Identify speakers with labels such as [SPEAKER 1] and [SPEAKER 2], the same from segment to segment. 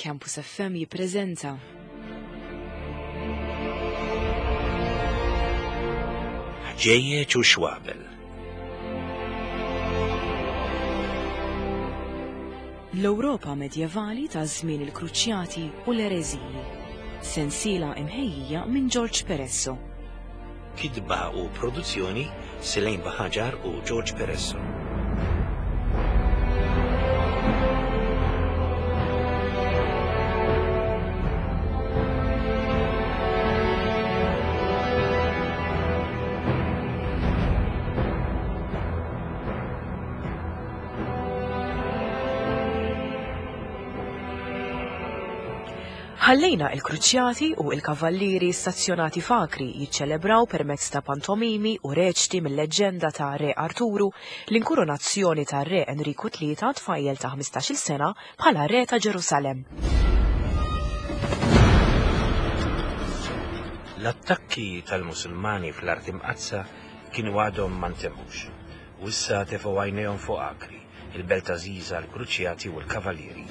[SPEAKER 1] Campus FM jippreżenta.
[SPEAKER 2] Ħġejjeġ u xwabel.
[SPEAKER 1] L-Ewropa medjevali ta' żmien il-Kruċjati u l-Ereżiji. Sensiela imħejjija minn George Peresso.
[SPEAKER 2] Kitba u produzzjoni Selain Baħaġar u George Peresso.
[SPEAKER 1] Ħallejna il-kruċjati u il-kavallieri stazzjonati f'Akri jiċċelebraw permezz ta' pantomimi u reċti mill-leġġenda ta' Re Arturu l-inkurunazzjoni ta' Re Enriku III tfajjel ta' 15-il sena bħala Re ta' Ġerusalemm.
[SPEAKER 2] L-attakki tal-Musulmani fl-Art Imqaddsa kienu għadhom ma ntemmux, u issa tefgħu għajnejhom fuq Akri, il-belt għażiża għall-Kruċjati u l-Kavallieri.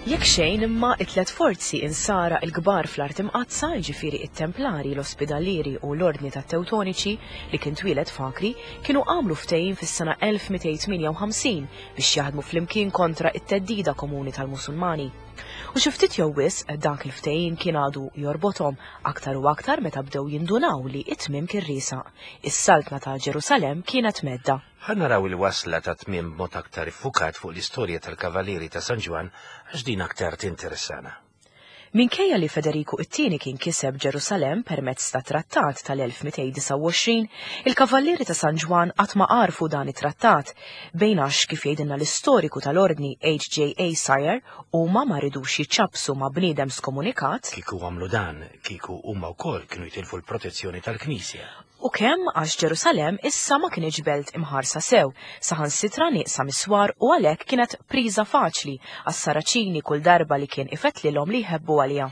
[SPEAKER 1] Jekk xejn imma it-tlet forzi insara l-kbar fl-Art Imqaddsa, jiġifieri it-Templari, l-Ospidalieri u l-Ordni tat-Tewtoniċi li kien twieled f'Akri, kienu għamlu ftehim fis-sena 1258 biex jaħdmu flimkien kontra t-theddida komuni tal-Musulmani. U xi ftit jew wisq dak il-ftehim kien għadu jorbothom aktar u aktar meta bdew jindunaw li t-tmiem kien riesaq. Is-saltna ta' Ġerusalemm kienet mhedda.
[SPEAKER 2] Ħa naraw il-wasla tat-tmiem b'mod aktar iffukat fuq l-istorja tal-Kavalieri ta' San Ġwann għax din aktar tinteressana.
[SPEAKER 1] Minkejja li Federiku it-Tieni kien kiseb Ġerusalemm permezz ta' trattat tal-1229, il-Kavallieri ta' San Ġwann qatt ma għarfu dan it-trattat, bejn għax, kif jgħidilna l-istoriku tal-Ordni HJA Sire, huma ma ridux jiċċappsu ma' bniedem skomunikat,
[SPEAKER 2] Kieku għamlu dan, kieku huma wkoll kienu jitilfu l-protezzjoni tal-Knisja.
[SPEAKER 1] U kemm għax Ġerusalemm issa ma kinitx belt imħarsa sew, saħansitra nieqsa mis-swar u għalhekk kienet priża faċli għas-Saraċini kull darba li kien ifettlilhom li jħebbu għaliha.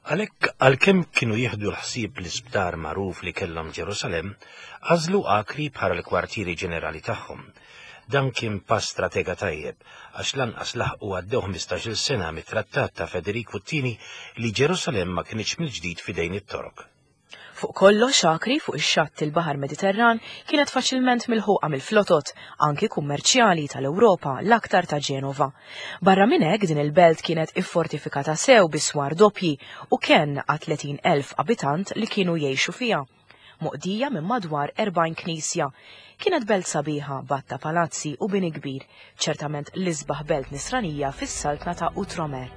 [SPEAKER 2] Għalhekk, għalkemm kienu jieħdu l-ħsieb l-isptar magħruf li kellhom Ġerusalemm, għażlu Akri bħala l-kwartieri ġenerali tagħhom. Dan kien pass stratega tajjeb, għax lanqas laħqu għaddew ħmistax-il sena mit-trattat ta' Federiku t-Tieni li Ġerusalemm ma kinitx mill-ġdid f'idejn it-Torok.
[SPEAKER 1] Fuq kollox, Acri, fuq ix-xatt il-Baħar Mediterran, kienet faċilment milħuqa mill-flotot, anki kummerċjali, tal-Ewropa, l-aktar ta' Ġenova. Barra minn hekk, din il-belt kienet iffortifikata sew bi swar doppji u kenn għat-30,000 abitant li kienu jgħixu fiha. Moqdija minn madwar 40 knisja. Kienet belt sabiħa, b'għadd ta' palazzi u bini kbir. Ċertament l-isbaħ belt nisranija fis-saltna ta' Outremer.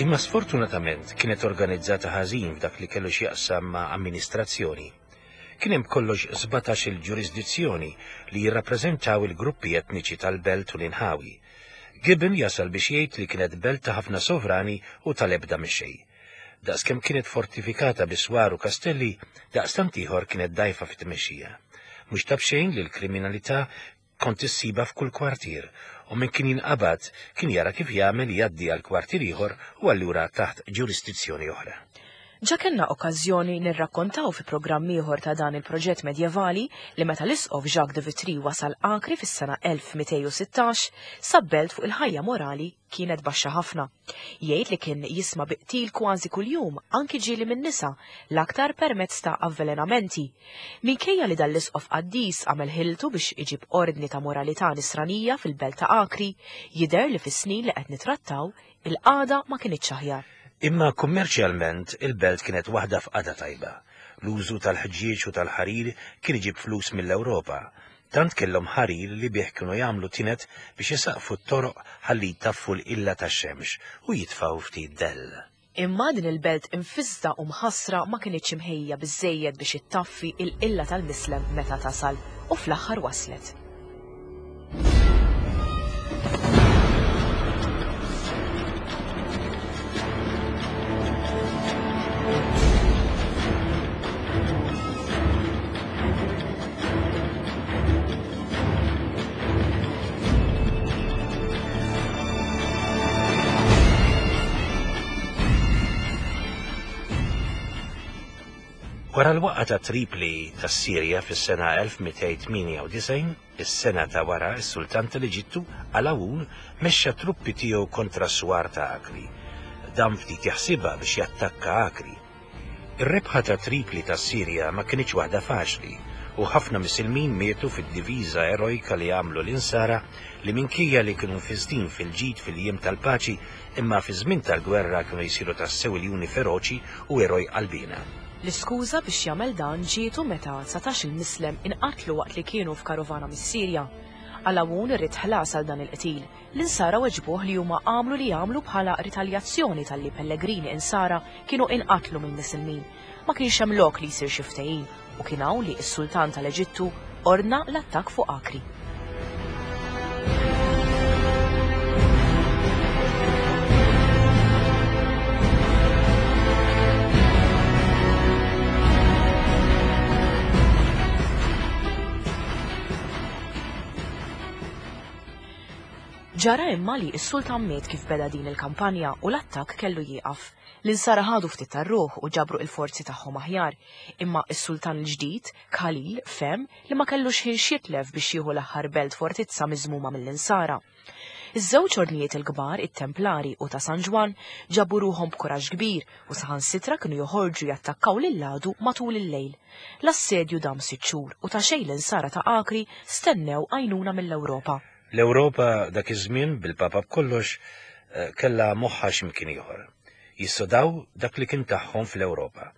[SPEAKER 2] Imma sfortunatament kienet organizzata ħażin f'dak li kellu x'jaqsam ma' amministrazzjoni. Kien hemm b'kollox 17-il ġurisdizzjoni li jirrappreżentaw il-gruppi etniċi tal-belt u l-inħawi. Gibbon jasal biex jgħid li kienet belt ta' ħafna sovrani u tal-ebda mexxej. Daqskemm kienet fortifikata bi swar u kastelli, daqstant ieħor kienet dgħajfa fit-tmexxija. Mhux ta' b'xejn li l-kriminalità kont issibha f'kull kwartier u min kien jinqabad kien jara kif jagħmel jgħaddi għal kwartier ieħor u allura taħt ġurisdizzjoni oħra.
[SPEAKER 1] Ġa kellna okkażjoni nirrakkontaw fi programm ieħor ta' dan il-proġett medjevali li meta l-Isqof Jacques de Vitry wasal Acri fis-sena 1216, sab belt fuq il-ħajja morali kienet baxxa ħafna. Jgħid li kien jisma' bi qtil kważi kuljum, anki ġieli minn nisa, l-aktar permezz ta' avvelenamenti. Minkejja li dan l-isqof qaddis għamel ħiltu biex iġib ordni ta' moralità nisranija fil-belt ta' Acri, jidher li fis-snin li qed nitrattaw, il-qagħda ma kinitx aħjar.
[SPEAKER 2] Imma kummerċjalment il-belt kienet waħda f'qagħda tajba. L-użu tal-ħġieġ u tal-ħarir kien iġib flus mill-Ewropa. Tant kellhom ħarir li bih kienu jagħmlu tined biex isaqqfu t-toroq ħalli jtaffu l-qilla tax-xemx u jitfgħu ftit dell.
[SPEAKER 1] Imma din il-belt imfissda u mħassra ma kinitx imħejja biżżejjed biex ittaffi l-qilla tal-Mislem meta tasal, u fl-aħħar waslet.
[SPEAKER 2] Wara l-waqgħa ta' Tripli tas-Sirja fis-sena 1298, is-sena ta' wara s-Sultan tal-Eġittu, Alawun, mexxa truppi tiegħu kontra s-swar ta' Akri. Dam ftit jaħsibha biex jattakka Akri. Ir-rebħa ta' Tripli tas-Sirja ma kinitx waħda faċli u ħafna Misilmin mietu fid-diviża erojka li għamlu l-Insara li minkejja li kienu mfissdin fil-ġid fil-jiem tal-paċi imma fiż-żmien tal-gwerra kienu jsiru tassew iljuni feroċi u eroj qalbiena.
[SPEAKER 1] L-iskuża biex jagħmel dan ġietu meta dsatax-il Mislem inqatlu waqt li kienu f'karovana mis-Sirja. Alawun ried ħlas għal dan il-qtil. L-Insara weġbuh li huma għamlu li għamlu bħala ritaljazzjoni talli pellegrini Insara kienu inqatlu mill-Misilmin. Ma kienx hemm lok li jsir xi ftehim u kien hawn li s-Sultan tal-Eġittu ordna l-attakk fuq Akri. Ġara imma li s-sultan miet kif beda din il-kampanja u l-attakk kellu jieqaf. L-Insara ħadu ftit tar-ruħ u ġabru il-forzi tagħhom aħjar, imma s-sultan il-ġdid, Khalil, fehem li ma kellux ħin x'jitlef biex jieħu l-aħħar belt fortizza miżmuma mill-Insara. Iż-żewġ ordnijiet il-kbar, it-Templari u ta' San Ġwann, ġabu ruħhom b'kuraġġ kbir u saħansitra kienu joħorġu jattakkaw lill-għadu matul il-lejl. L-assedju dam sitt xhur u ta' xejn l-Insara ta' Acri stennew għajnuna mill-Ewropa.
[SPEAKER 2] L-Ewropa dak iż-żmien, bil-Papa b'kollox, kellha moħħha x'imkien ieħor. Jissodaw dak li kien tagħhom fl-Ewropa.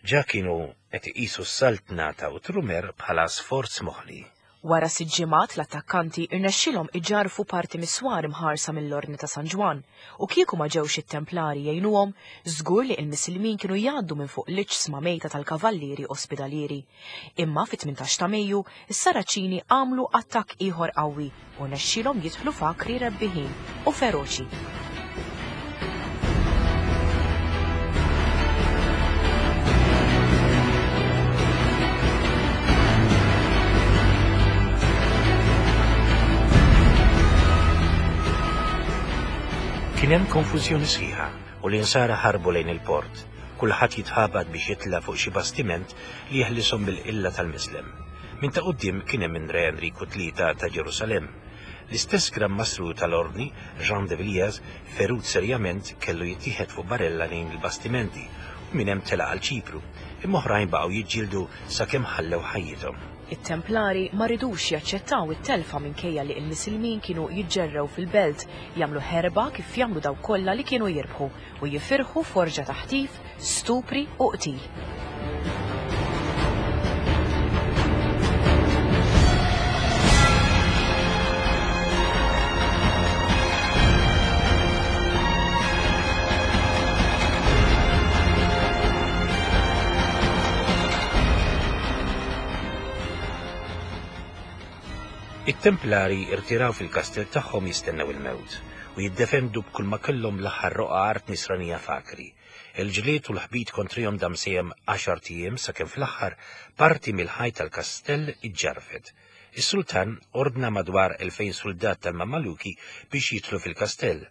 [SPEAKER 2] Ġa kienu qed iqisu s-saltna ta' Outremer bħala sforz moħli.
[SPEAKER 1] Wara sitt ġimgħat l-attakkanti rnexxielhom iġarrfu parti mis-swar imħarsa mill-Ordni ta' San Ġwann u kieku ma ġewx it-Templari jgħinuhom, żgur li il-Misilmin kienu jgħaddu minn fuq l-iġsma mejta tal-Kavallieri Ospidalieri. Imma fit-18 ta' Mejju, is-Saraċini għamlu attakk ieħor qawwi u rnexxielhom jidħlu f'Akri rebbiħin u feroċi.
[SPEAKER 2] Kien hemm konfużjoni sħiħa u l-insara ħarbu lejn il-port, kulħadd jitħabat biex jitla' fuq xi bastiment li jeħlishom mill-qilla tal-Mislem. Minn ta' quddiem kien hemm in-Re Enriku Tlieta ta' Ġerusalemm. L-istess Gran Mastru tal-Ordni, Jean de Villiers, ferut serjament, kellu jittieħed fuq barella lejn il-bastimenti u minn hemm telaq għal Ċipru, imma oħrajn baqgħu jiġġieldu sakemm ħallew ħajjithom.
[SPEAKER 1] It-Templari ma ridux jaċċettaw it-telfa minkejja li l-Misilmin kienu jiġġerrew fil-belt, jagħmlu ħerba kif jagħmlu dawk kollha li kienu jirbħu, u jifirħu f'orġa ta' ħtif, stupri u qtil.
[SPEAKER 2] It-Templari irtiraw fil-kastell tagħhom jistennew il-mewt u jiddefendu b'kull ma kellhom l-aħħar roqgħa art nisranija f'Akri. Il-ġlied u l-ħbit kontrihom dam sejjem għaxart ijiem sakemm fl-aħħar parti mill-ħajt tal-kastell iġġarrfet. Is-sultan ordna madwar 2,000 suldat tal-Mammaluki biex jidħlu fil-kastell,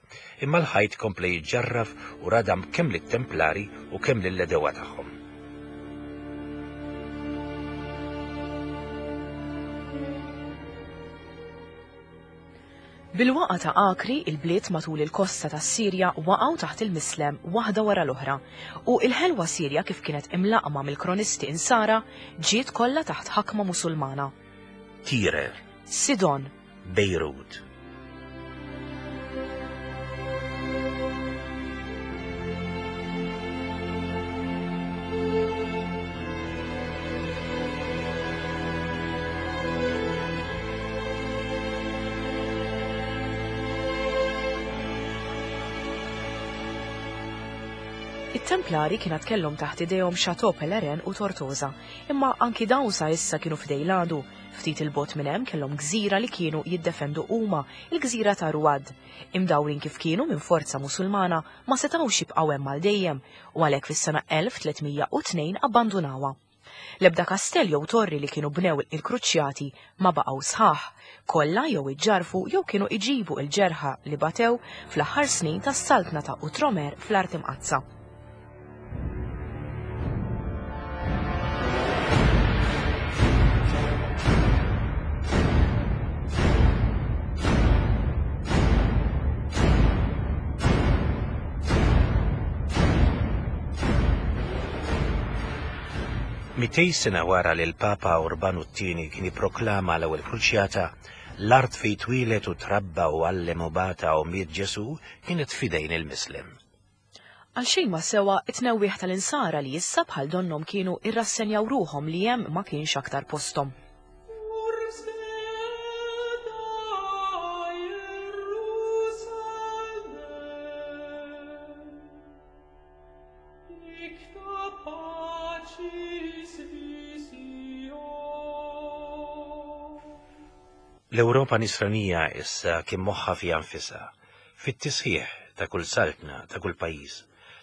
[SPEAKER 2] imma l-ħajt kompla jiġġarraf u radam kemm lit-Templari u kemm lill-għedewwa tagħhom.
[SPEAKER 1] Bil-waqgħa ta' Akri, il-bliet matul il-kosta tas-Sirja waqgħu taħt il-Mislem waħda wara l-oħra, u l-ħelwa Sirja kif kienet imlaqqma mill-kronisti Insara ġiet kollha taħt ħakma Musulmana.
[SPEAKER 2] Tire.
[SPEAKER 1] Sidon.
[SPEAKER 2] Bejrut.
[SPEAKER 1] It-Templari kien għad kellhom taħt idejhom Chateau Pelerin u Tortosa, imma anki dawn sa issa kienu f'idej l-għadu. Ftit 'il bogħod minn hemm kellhom gżira li kienu jiddefendu huma, il-gżira ta' Ruad. Imdawrin kif kienu minn forza Musulmana, ma setgħux jibqgħu hemm għal dejjem, u għalhekk fis-sena 1302 abbandunawha. L-ebda kastell jew torri li kienu bnew il-Kruċjati ma baqgħu sħaħ, kollha jew iġġarrfu jew kienu iġibu l-ġerħa li batew fl-aħħar snin tas-saltna ta' Outremer fl-Art Imqaddsa.
[SPEAKER 2] 200 sena wara li l-Papa Urbanu t-Tieni kien ipproklama l-ewwel kruċjata, l-art fejn twieled u trabba u għallem u bata u miet Ġesù kienet f'idejn il-Mislem.
[SPEAKER 1] Għal xejn ma sewa t-tnewwieħ tal-Insara li issa bħal donnhom kienu irrassenjaw ruħhom li hemm ma kienx aktar posthom.
[SPEAKER 2] L-Ewropa Nisranija issa kien moħħha fiha nfisha, fit-tisħiħ ta' kull saltna, ta' kull pajjiż.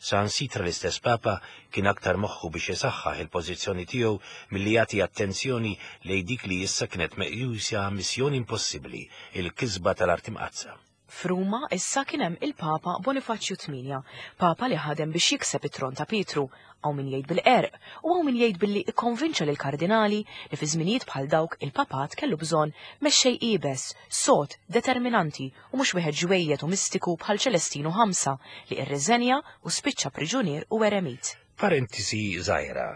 [SPEAKER 2] Saħansitra l-istess Papa kien aktar moħħu biex isaħħaħ il-pożizzjoni tiegħu milli jagħti attenzjoni lejn dik li issa kienet meqjusa missjoni impossibbli, il-kisba tal-Art Imqaddsa.
[SPEAKER 1] F'Ruma issa kien hemm il-Papa Bonifaċju Tmienja, Papa li ħadem biex jikseb it-tron ta' Pietru, hawn min jgħid bil-qerq u hawn min jgħid billi ikkonvinċa lill-kardinali li fi żminijiet bħal dawk il-Papat kellu bżonn mexxej iebes, sod, determinanti u mhux wieħed ġwejjed u mistiku bħal Ċelestinu Ħamsa li irriżenja u spiċċa priġunier u eremit.
[SPEAKER 2] Parentesi żgħira,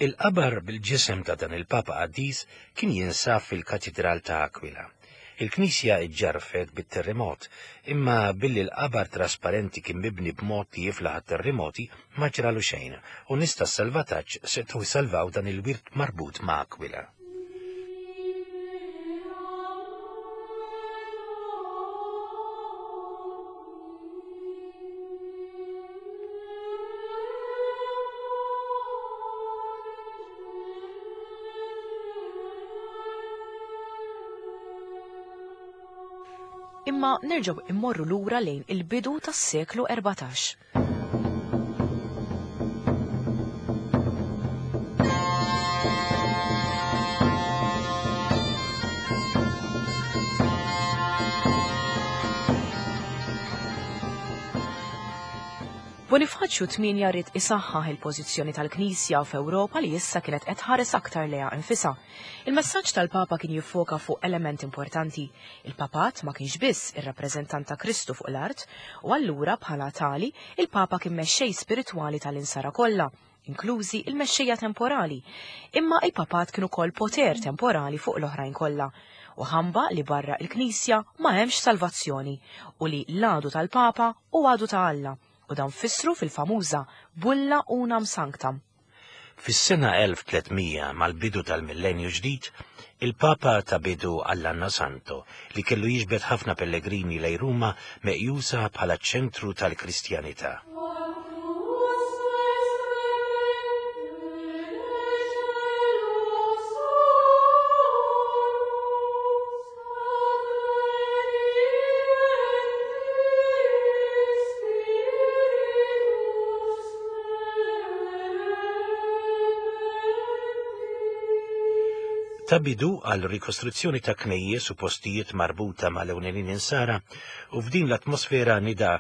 [SPEAKER 2] Il-qabar bil-ġisem ta' dan il-Papa qaddis kien jinsab fil-Katidral ta' Aquila. Il-knisja ġġarrfet bit-terremot, imma billi l-qabar trasparenti kien mibni b'mod li jiflaħ għat-terremoti, ma ġralu xejn, u nies tas-salvataġġ setgħu jsalvaw dan il-wirt marbut ma' Aquila.
[SPEAKER 1] Imma nerġgħu immorru lura lejn il-bidu tas-seklu 14. Bonifaċju Tmienja ried isaħħaħ il-pożizzjoni tal-Knisja f'Ewropa li issa kienet qed tħares aktar lejha nfisha. Il-messaġġ tal-Papa kien jiffoka fuq element importanti. Il-Papat ma kienx biss ir-rappreżentant ta' Kristu fuq l-art, u allura bħala tali, il-Papa kien mexxej spiritwali tal-insara kollha, inklużi il-mexxejja temporali. Imma il-Papat kien ukoll poter temporali fuq l-oħrajn kollha, u ħamba li barra il-Knisja ma hemmx salvazzjoni, u li l-għadu tal-Papa hu għadu ta' Alla, u dan fissru fil-famuża Bulla Unam Sanctam.
[SPEAKER 2] Fis-sena 1300, mal-bidu tal-millenju ġdid, il-Papa ta bidu għall-Anno Santo, li kellu jiġbed ħafna pellegrini lejn Ruma meqjusa bħala ċ-ċentru tal-Kristjanità. Ta bidu għal rikostruzzjoni ta' knejjes u postijiet marbuta mal-ewlenin insara u f'din l-atmosfera nida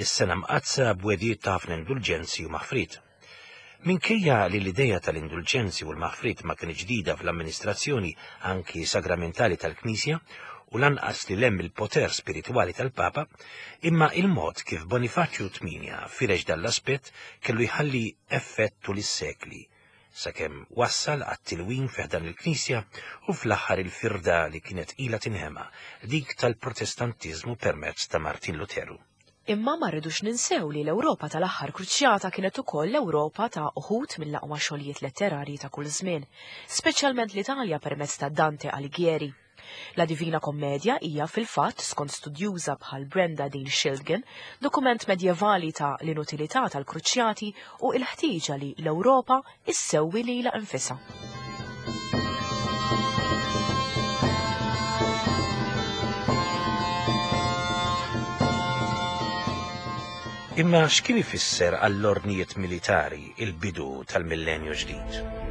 [SPEAKER 2] s-sena mqaddsa b'wegħdiet ta' ħafna indulġenzi u maħfriet. Minkejja li l-idea tal-indulġenzi u l-maħfriet ma kinitx ġdida fl-amministrazzjoni anki sagramentali tal-Knisja u lanqas li 'l hemm il-poter spiritwali tal-Papa, imma il-mod kif Bonifaċju Tmienja firex dan l-aspett kellu jħalli effett tul is-sekli, sakemm wassal għat-tilwim fi ħdan il-Knisja u fl-aħħar il-firda li kienet ilha tinħema, dik tal-Protestantiżmu permezz ta' Martin Luteru.
[SPEAKER 1] Imma ma rridux ninsew li l-Ewropa tal-aħħar kruċjata kienet ukoll l-Ewropa ta' uħud mill-aqwa xogħlijiet letterarji ta' kull żmien, speċjalment l-Italja permezz ta' Dante Alighieri. La Divina Commedia hija fil-fatt, skont studjuża bħal Brenda Dean Schildgen, dokument medjevali ta' l-inutilità tal-kruċjati u l-ħtieġa li l-Ewropa issewwi lilha nfisha.
[SPEAKER 2] Imma x'kien ifisser għall-ordnijiet militari il-bidu tal-millenju ġdid?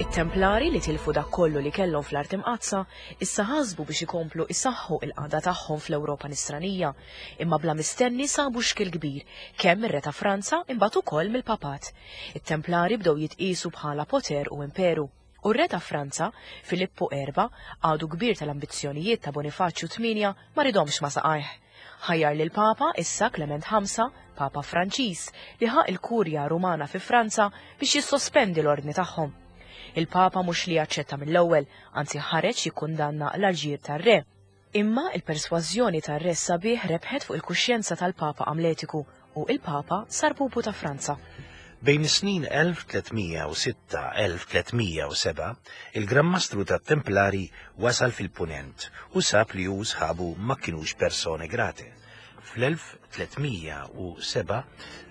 [SPEAKER 1] It-Templari li tilfu dak kollu li kellhom fl-Art Imqaddsa issa ħasbu biex ikomplu isaħħu il-qagħda tagħhom fl-Ewropa Nisranija, imma bla mistenni sabu xkiel kbir, kemm mir-Re ta' Franza imbagħad ukoll mill-Papat. It-Templari bdew jitqiesu bħala poter u imperu. U r-Re ta' Franza, Filippu Erba', għadu kbir tal-ambizzjonijiet ta' Bonifaċju Tmienja, ma riedhomx ma' saqajh. Ħajjar lill-Papa, issa Klement Ħamsa, Papa Franċiż, li ħa l-Kurja Rumana fi Franza biex jissospendi l-ordni tagħhom. Il-Papa mhux li aċċetta mill-ewwel, anzi ħareġ jikkundanna l-aġir tar-Re. Imma il-persważjoni tar-Re s-sabiħ rebħet fuq il-kuxjenza tal-Papa Amletiku u il-Papa sar pupu ta' Franza.
[SPEAKER 2] Bejn is-snin 1306-1307, il-Gran Mastru tat-Templari wasal fil-Punent u sab li hu u sħabu ma kinux persone grate. Fl-1307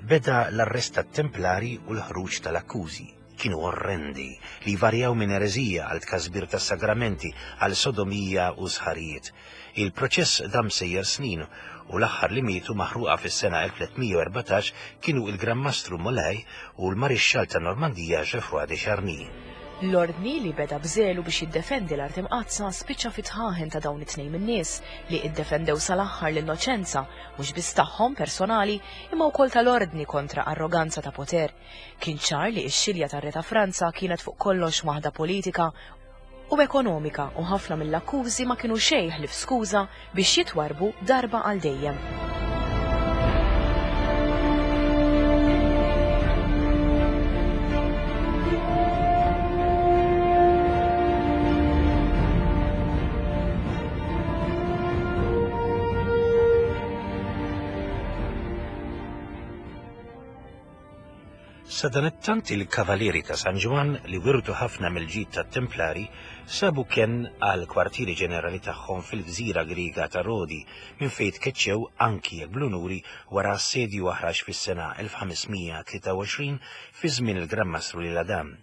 [SPEAKER 2] beda l-arrest tat-Templari u l-ħruġ tal-akkużi. Kienu orrendi, li jvarjaw minn ereżija għal tkasbir tas-sagramenti, għal sodomija u sħarijiet. Il-proċess dam sejjer snin u l-aħħar li mietu maħruqa fis-sena 1314 kienu il-Gran Mastru Molay u l-Marixxall ta' Normandija Geoffroy de Charny.
[SPEAKER 1] L-ordni li beda b'żelu biex jiddefendi l-Art Imqaddsa spiċċa fit-tħaħen ta' dawn it-tnejn min-nies li iddefendew sal-aħħar l-innoċenza mhux biss tagħhom personali imma wkoll tal-ordni kontra arroganza ta' poter. Kien ċar li x-xilja tar-Re ta' Franza kienet fuq kollox waħda politika u ekonomika u ħafna mill-akkużi ma kienu xejn ħlief skuża biex jitwarrbu darba għal dejjem.
[SPEAKER 2] Sadanittant il-Kavalieri ta' San Ġwann li wirtu ħafna mill-ġid tat-Templari sabu kenn għall-kwartieri ġenerali tagħhom fil-gżira Griega ta' Rodi minn fejn tkeċċew anki jekk bl-unuri wara assedju aħrax fis-sena 1523 fi żmien il-Gran Mastru L'Isle-Adam.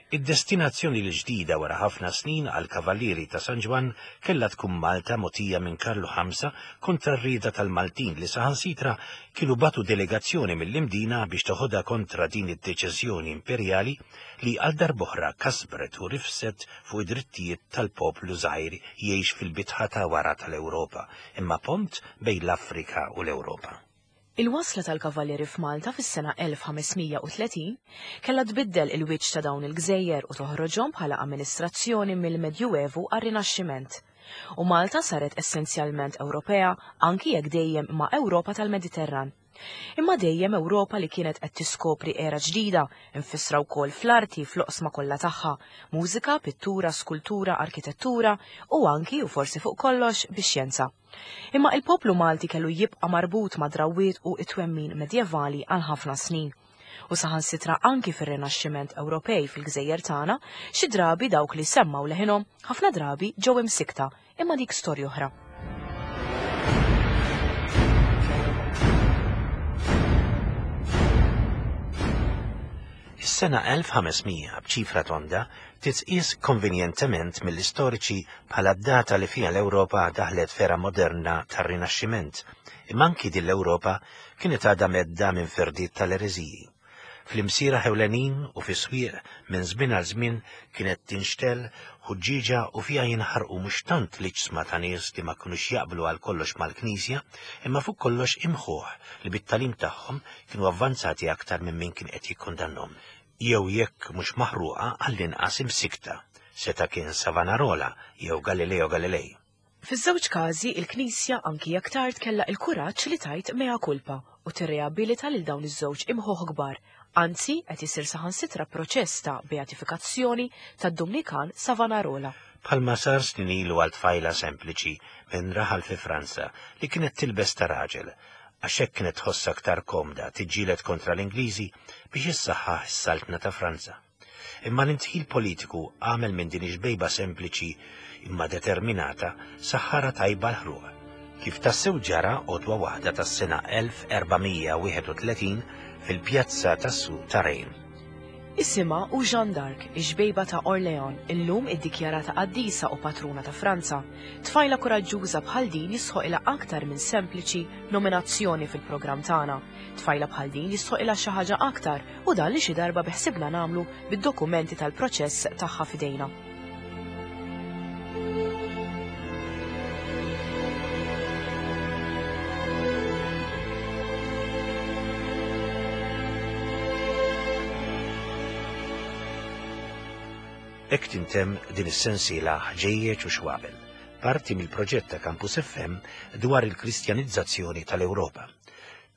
[SPEAKER 2] Id-destinazzjoni l-ġdida wara ħafna snin għall-Kavallieri ta' San Ġwann kellha tkun Malta mogħtija minn Karlu Ħamsa kontra r-rieda tal-Maltin li saħansitra kienu bagħtu delegazzjoni mill-Imdina biex teħodha kontra din id-deċiżjoni imperjali li għal darb'oħra kasbret u rifset fuq id-drittijiet tal-poplu żgħir jgħix fil-bitħa ta' wara tal-Ewropa imma pont bejn l-Afrika u l-Ewropa.
[SPEAKER 1] Il-wasla tal-Kavallieri f'Malta fis-sena 1530 kellha tbiddel il-wiċċ ta' dawn il-gżejjer u toħroġhom bħala amministrazzjoni mill-Medjuevu għar-Rinaxximent. U Malta saret essenzjalment Ewropea anki jekk dejjem ma' Ewropa tal-Mediterran. Imma dejjem Ewropa li kienet qed tiskopri era ġdida, imfissra wkoll fl-arti fl-oqsma kollha tagħha, mużika, pittura, skultura, arkitettura u anki u forsi fuq kollox bix-xjenza. Imma il-poplu Malti kellu jibqa' marbut ma' drawwiet u t-twemmin medjevali għal ħafna snin. U saħansitra anki fir-Rinaxximent Ewropej fil-gżejjer tagħna, xi drabi dawk li semmgħu leħinhom ħafna drabi ġew imsikkta, imma dik storja oħra.
[SPEAKER 2] Is-sena 1500 b'ċifra tonda titqies konvenjentement mill-istoriċi bħala d-data li fiha l-Ewropa daħlet f'era moderna tar-Rinaxximent, imma anki din l-Ewropa kienet għadha mhedda minn firdiet tal-ereżiji. Fl-imsieraħ ewlenin u fis-swieq minn żmien għal żmien kienet tinxtegħel ħuġġieġa u fiha jinħarqu mhux tant l-iġsma ta' nies li ma kinux jaqblu għal kollox mal-Knisja, imma fuq kollox imħuħ li bit-tagħlim tagħhom kienu avvanzati aktar minn min kien qed jikkundannhom. Jew jekk mhux maħruqa għall-inqas imsikkta, seta' kien Savanarola jew Galileo Galilei.
[SPEAKER 1] Fiż-żewġ każi, il-Knisja anki jekk tard kellha il-kuraġġ li tgħid mea culpa u tirreabilita lil dawn iż-żewġ imħuħ kbar, anzi qed isir saħansitra proċess ta' beatifikazzjoni tad-Dumnikan Savanarola.
[SPEAKER 2] Bħalma sar snin ilu għal tfajla sempliċi minn raħal fi Franza li kienet tilbes ta' raġel, għax hekk kienet tħossha aktar komda tiġġieled kontra l-Ingliżi biex issaħħaħ is-saltna ta' Franza. Imma l-indħil politiku għamel minn din ix-xbejba sempliċi imma determinata saħħara tajba l-ħruq. Kif tassew ġara għodwa waħda tas-sena 1431 fil-pjazza tas-suq ta' Reims.
[SPEAKER 1] Isimha hu Jeanne d'Arc, ix-xbejba ta' Orléans, illum iddikjarata qaddisa u patruna ta' Franza. Tfajla kuraġġuża bħal din jistħoqilha aktar minn sempliċi nominazzjoni fil-programm tagħna. Tfajla bħal din jistħoqilha xi ħaġa aktar u dan li xi darba biħsibna nagħmlu bid-dokumenti tal-proċess tagħha f'idejna.
[SPEAKER 2] Hekk tintemm din is-sensiela Ħġejjeġ u Xwabel, parti mill-proġett ta' Campus FM dwar il-Kristjanizzazzjoni tal-Ewropa.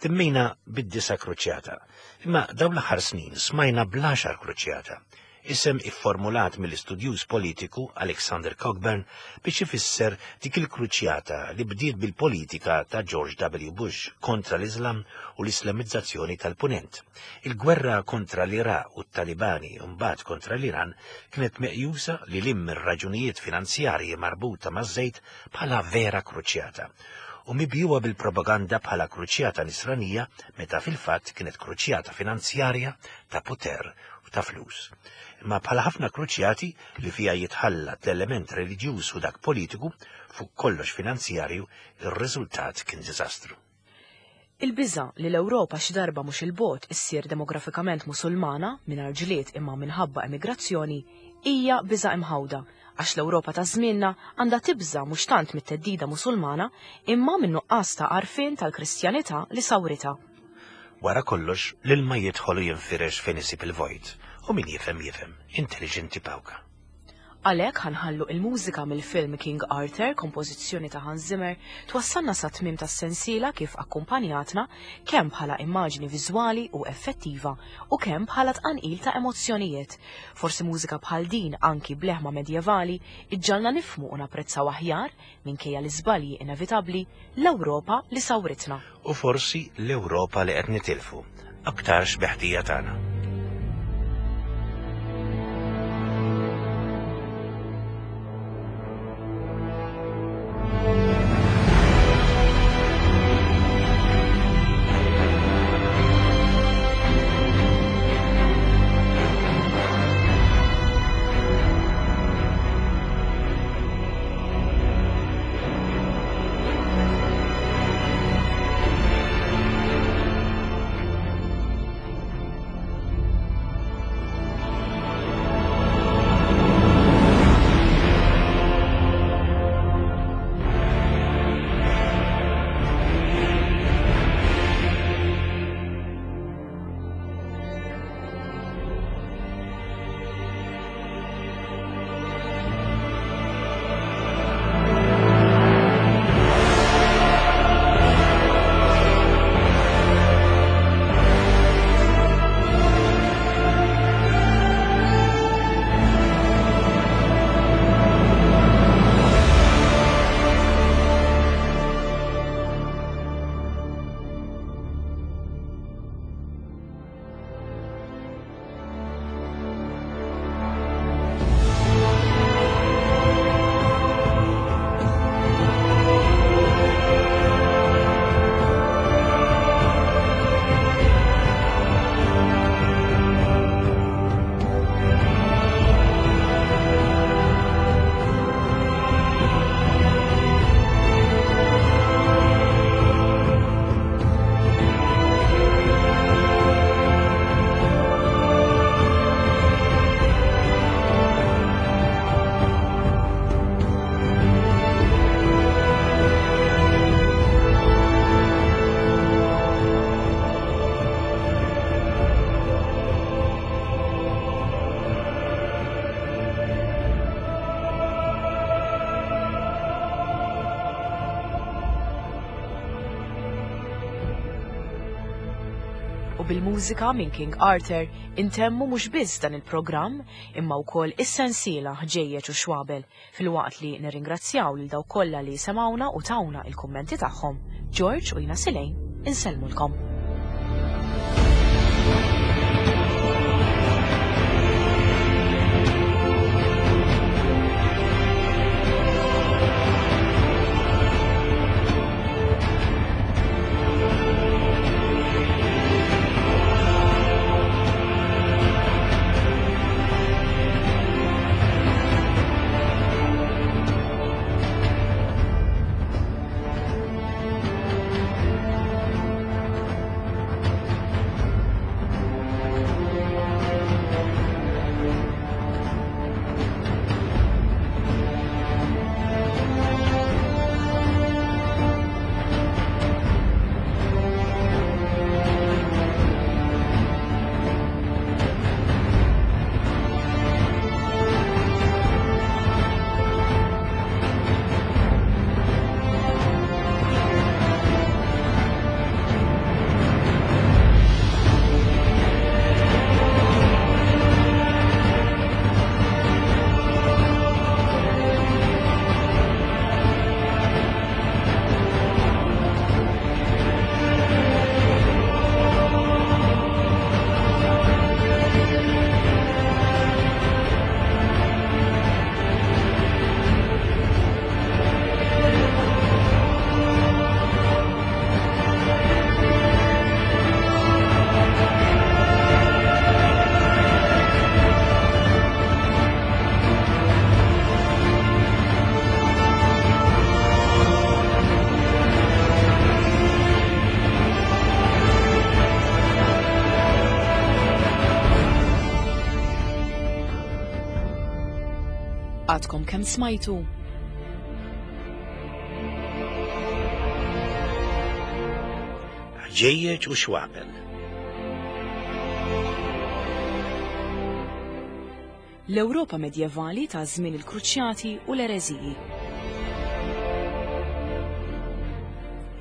[SPEAKER 2] Temmejna bid-disa' kruċjata, imma dawn l-aħħar snin smajna bl-għaxar kruċjata, isem ifformulat mill-istudjuż politiku Alexander Cockburn biex ifisser dik il-kruċjata li bdiet bil-politika ta' George W. Bush kontra l-Iżlam u l-Islamizzazzjoni tal-Punent. Il-gwerra kontra l-Iraq u t-Talibani u mbagħad kontra l-Iran kienet meqjusa lil hinn mir-raġunijiet finanzjarji marbuta maż-żejt bħala vera kruċjata u mibjugħa bil-propaganda bħala kruċjata nisranija meta fil-fatt kienet kruċjata finanzjarja ta' poter u ta' flus. Imma bħala ħafna kruċjati li fiha jitħallat l-element reliġjuż u dak politiku, fuq kollox finanzjarju, ir-riżultat kien diżastru.
[SPEAKER 1] Il-biża' li l-Ewropa xi darba mhux 'il bogħod issir demografikament Musulmana, mingħajr ġlied imma minħabba emigrazzjoni, hija biża' imħawda għax l-Ewropa ta' żmienna għandha tibża' mhux tant mit-theddida Musulmana imma min-nuqqas ta' għarfien tal-Kristjanità li sawritha.
[SPEAKER 2] Wara kollox, l-ilma jidħol u jinfirex fejn isib il-vojt, u min jifhem jifhem, intelliġenti pawka.
[SPEAKER 1] Għalhekk ħa nħallu il-mużika mill-film King Arthur, kompożizzjoni ta' Hans Zimmer, twassalna sat-tmiem tas-sensiela kif akkumpanjatna kemm bħala immaġni viżwali u effettiva u kemm bħala tqanqil ta' emozzjonijiet. Forsi mużika bħal din anki b'leħma medjevali iġġagħalna nifhmu u napprezzaw aħjar, minkejja l-iżbalji inevitabbli, l-Ewropa li sawritna.
[SPEAKER 2] U forsi l-Ewropa li qed nitilfu, aktarx bi ħtija tagħna.
[SPEAKER 1] bil-mużika minn King Arthur intemmu mhux biss dan il-programm imma wkoll is-sensiela Ħġejjeġ u Xwabel filwaqt li nirringrazzjaw lil dawk kollha li semgħuna u tawna il-kummenti tagħhom. George u jiena Silejn insellmulkom. Għadkom kemm smajtu?
[SPEAKER 2] Ħġejjeġ u xwabel.
[SPEAKER 1] L-Ewropa medjevali ta' żmien il-Kruċjati u l-Ereżiji.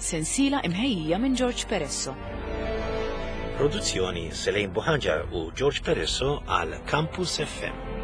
[SPEAKER 1] Sensiela imħejjija minn George Peresso.
[SPEAKER 2] Produzzjoni Selejn Buħanġar u George Peresso għal Campus FM.